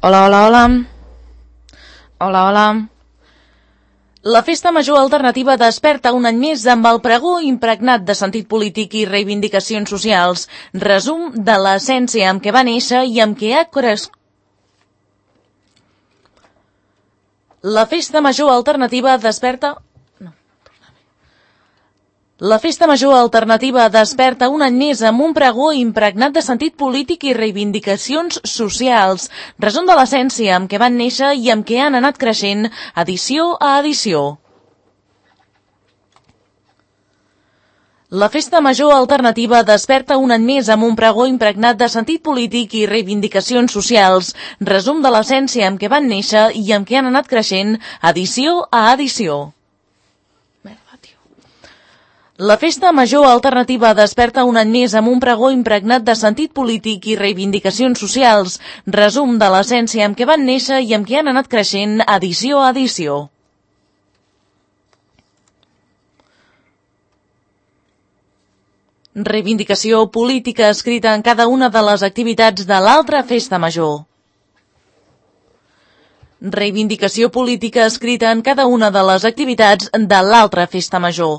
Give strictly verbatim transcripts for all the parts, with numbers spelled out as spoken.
Hola, hola, hola. Hola, hola. La Festa Major Alternativa desperta un any més amb el pregó impregnat de sentit polític i reivindicacions socials. Resum de l'essència amb què va néixer i amb què ha crescut. La Festa Major Alternativa desperta... La Festa Major Alternativa desperta un any més amb un pregó impregnat de sentit polític i reivindicacions socials. Resum de l'essència amb què van néixer i amb què han anat creixent edició a edició. La Festa Major Alternativa desperta un any més amb un pregó impregnat de sentit polític i reivindicacions socials. Resum de l'essència amb què van néixer i amb què han anat creixent edició a edició. La Festa Major Alternativa desperta un any més amb un pregó impregnat de sentit polític i reivindicacions socials. Resum de l'essència amb què van néixer i amb què han anat creixent edició a edició. Reivindicació política escrita en cada una de les activitats de l'altra Festa Major. Reivindicació política escrita en cada una de les activitats de l'altra Festa Major.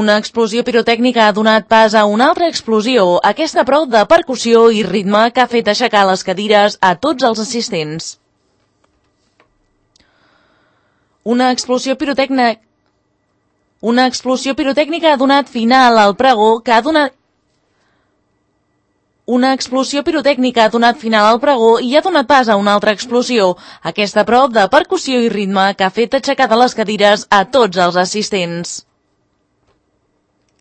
Una explosió pirotècnica ha donat pas a una altra explosió, aquesta prou de percussió i ritme que ha fet aixecar les cadires a tots els assistents. Una explosió pirotècnica... Una explosió pirotècnica ha donat final al pregó que ha donat... Una explosió pirotècnica ha donat final al pregó i ha donat pas a una altra explosió, aquesta prou de percussió i ritme que ha fet aixecar de les cadires a tots els assistents.